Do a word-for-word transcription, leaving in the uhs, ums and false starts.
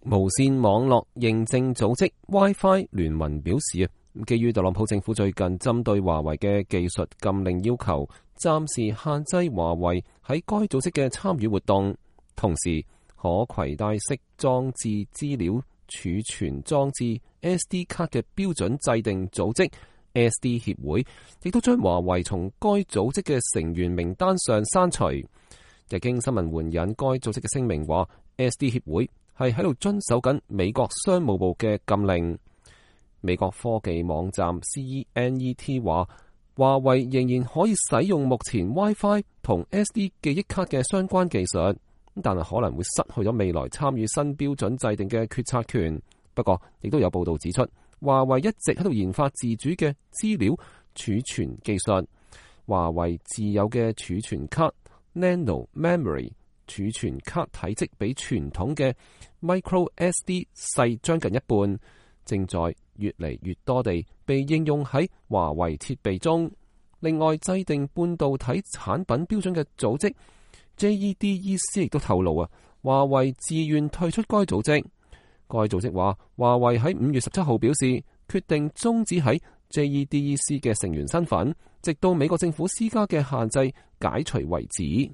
無線網絡認證組織 Wi-Fi 聯盟表示啊，基於特朗普政府最近針對華為嘅技術禁令要求，暫時限制華為喺該組織嘅參與活動。同時，可攜帶式裝置資料儲存裝置 S D 卡嘅標準制定組織 S D 協會，亦都將華為從該組織嘅成員名單上刪除。日經新聞援引該組織嘅聲明話 ，S D 協會係喺度遵守緊美國商務部嘅禁令。美國科技網站 C E N E T 話，華為仍然可以使用目前 WiFi 同 S D 記憶卡嘅相關技術，但係可能會失去咗未來參與新標準制定嘅決策權。不過，亦都有報道指出，華為一直喺度研發自主嘅資料儲存技術。華為自有嘅儲存卡 Nano Memory 儲存卡體積比傳統嘅 Micro S D 細將近一半，正在越嚟越多地被應用喺華為設備中。另外，制定半導體產品標準嘅組織 J E D E C 亦都透露啊，華為自願退出該組織。該組織話，華為喺五月十七號表示，決定終止喺 J E D E C 嘅成員身份，直到美國政府施加嘅限制解除為止。